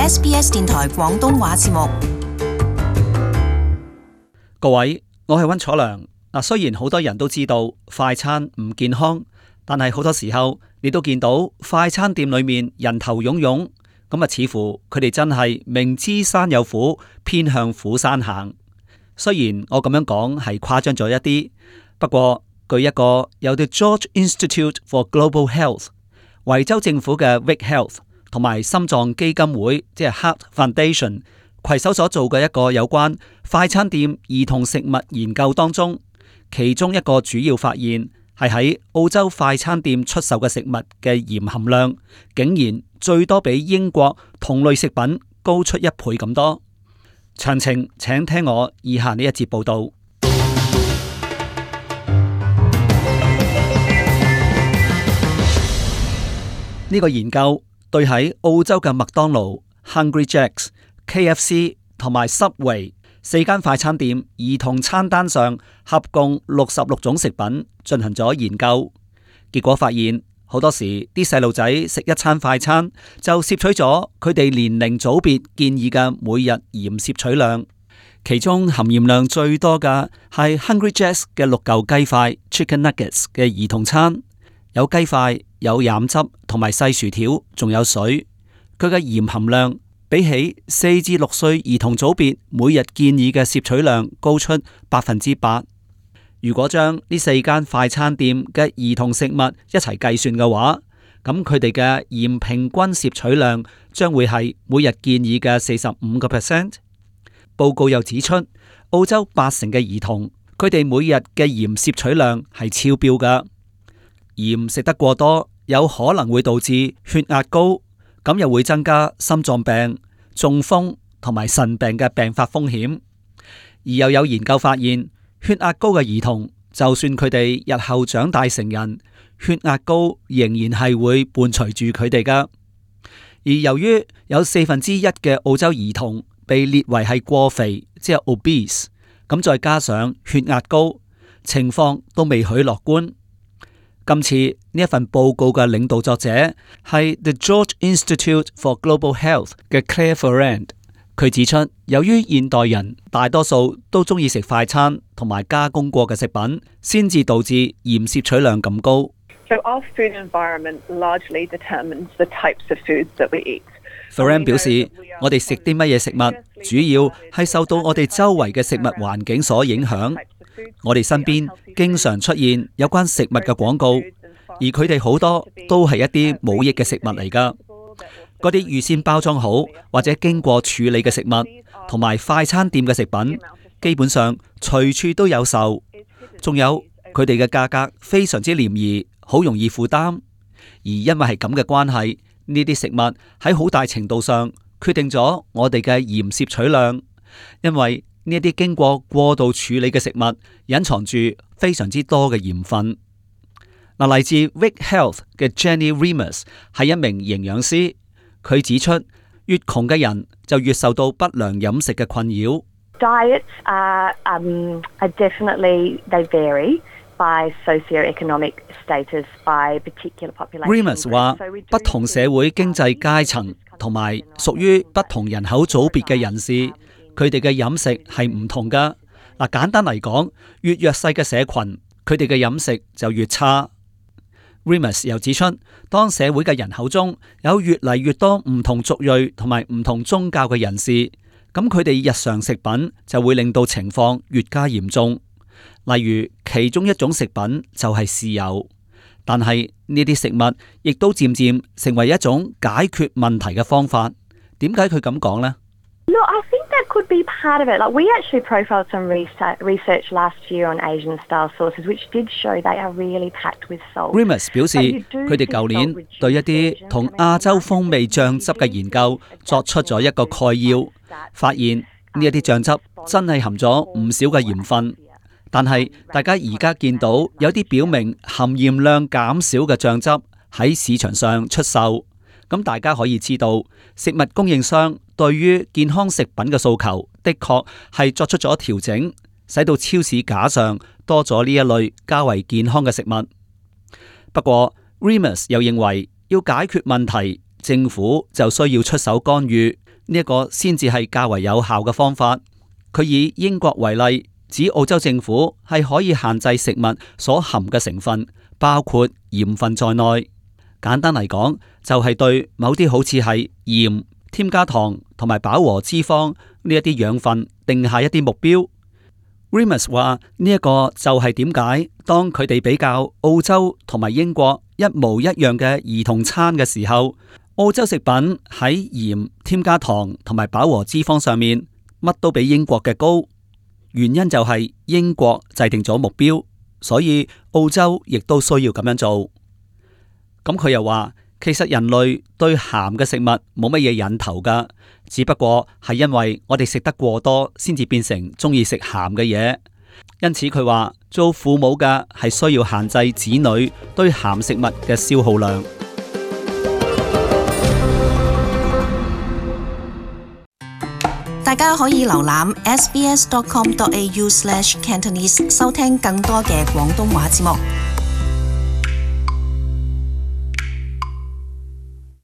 SBS 電台廣東話節目。各位，我係溫楚良。雖然好多人都知道快餐唔健康，但係好多時候你都見到快餐店裏面人頭湧湧，似乎佢哋真係明知山有虎，偏向虎山行。雖然我咁樣講係誇張咗一啲，不過據一個由 The George Institute for Global Health、維州政府嘅 Vic Health 同埋心臟基金會即係 Heart Foundation 攜手所做嘅一個有關快餐店兒童食物研究當中，其中一個主要發現係喺澳洲快餐店出售嘅食物嘅鹽含量，竟然最多比英國同類食品高出1倍咁多。詳情請聽我以下呢一節報道。呢個研究對喺澳洲嘅麥當勞、Hungry Jacks、KFC 同埋 Subway 4間快餐店兒童餐單上合共66種食品進行咗研究，結果發現好多時啲細路仔食一餐快餐就攝取咗佢哋年齡組別建議嘅每日鹽攝取量，其中含鹽量最多嘅係 Hungry Jacks 嘅6嚿雞塊 Chicken Nuggets 嘅兒童餐，有雞塊、有飲汁同埋細薯條，仲有水。佢嘅鹽含量比起4至6歲兒童組別每日建議嘅攝取量高出8%。如果將呢4間快餐店嘅兒童食物一齊計算嘅話，咁佢哋嘅鹽平均攝取量將會係每日建議嘅45%。報告又指出，澳洲80%嘅兒童，佢哋每日嘅鹽攝取量係超標㗎。鹽食得過多，有可能會導致血壓高，咁又會增加心臟病、中風同埋腎病嘅病發風險。而又有研究發現，血壓高嘅兒童，就算佢哋日後長大成人，血壓高仍然係會伴隨住佢哋㗎。而由於有1/4嘅澳洲兒童被列為係過肥，即係 obese， 咁再加上血壓高，情況都未許樂觀。今次呢一份報告嘅領導作者係 The George Institute for Global Health 嘅 Claire Ferrand， 佢指出，由於現代人大多數都中意食快餐同埋加工過嘅食品，先至導致鹽攝取量咁高。So our food environment largely determines the types of foods that we eat. Ferrand 表示，我哋食啲乜嘢食物，主要係受到我哋周圍嘅食物環境所影響。我哋身邊經常出現有關食物嘅廣告，而佢哋好多都係一啲冇益嘅食物嚟㗎。嗰啲預先包裝好或者經過處理嘅食物，同埋快餐店嘅食品，基本上隨處都有售。仲有佢哋嘅價格非常之廉宜，好容易負擔。而因為係咁嘅關係，呢啲食物喺好大程度上決定咗我哋嘅鹽攝取量，因為呢啲經過過度處理嘅食物隱藏住非常之多嘅鹽分。嚟自 Vic Health 嘅 Jenny Remus 係一名營養師，佢指出，越窮嘅人就越受到不良飲食嘅困擾。Diets are definitely they vary by socioeconomic status by particular population. Remus 話，不同社會經濟階層同埋屬於不同人口組別嘅人士，佢哋嘅飲食係唔同噶。簡單嚟講，越弱勢嘅社群，佢哋嘅飲食就越差。Remus 又指出，當社會嘅人口中有越嚟越多唔同族裔同埋唔同宗教嘅人士，咁佢哋日常食品就會令到情況越加嚴重。例如，其中一種食品就係豉油，但係呢啲食物亦都漸漸成為一種解決問題嘅方法。點解佢咁講呢？ No, I think that could be part of it. Like we actually profiled some research last year on Asian-style sauces, which did show they are really packed with salt. Remus 表示，佢哋舊年對一啲同亞洲風味醬汁嘅研究作出咗一個概要，發現呢一啲醬汁真係含咗唔少嘅鹽分。但係大家而家見到有啲表明含鹽量減少嘅醬汁喺市場上出售，咁大家可以知道，食物供應商對於健康食品嘅訴求的確係作出咗調整，使到超市架上多咗呢一類較為健康嘅食物。不過 Remus 又認為要解決問題，政府就需要出手干預，呢一個先至係較為有效嘅方法。佢以英國為例，指澳洲政府係可以限制食物所含嘅成分，包括鹽分在內。簡單嚟講，就係對某啲好似係鹽、添加糖同埋飽和脂肪呢一啲養分定下一啲目標。Remus 話呢一個就係點解當佢哋比較澳洲同埋英國一模一樣嘅兒童餐嘅時候，澳洲食品喺鹽、添加糖同埋飽和脂肪上面乜都比英國嘅高。原因就係英國制定咗目標，所以澳洲亦都需要咁樣做。咁佢又話，其實人類對鹹嘅食物冇乜嘢癮頭噶，只不過係因為我哋食得過多，先至變成中意食鹹嘅嘢。因此佢話，做父母嘅係需要限制子女對鹹食物嘅消耗量。大家可以瀏覽 sbs.com.au/Cantonese 收聽更多嘅廣東話節目。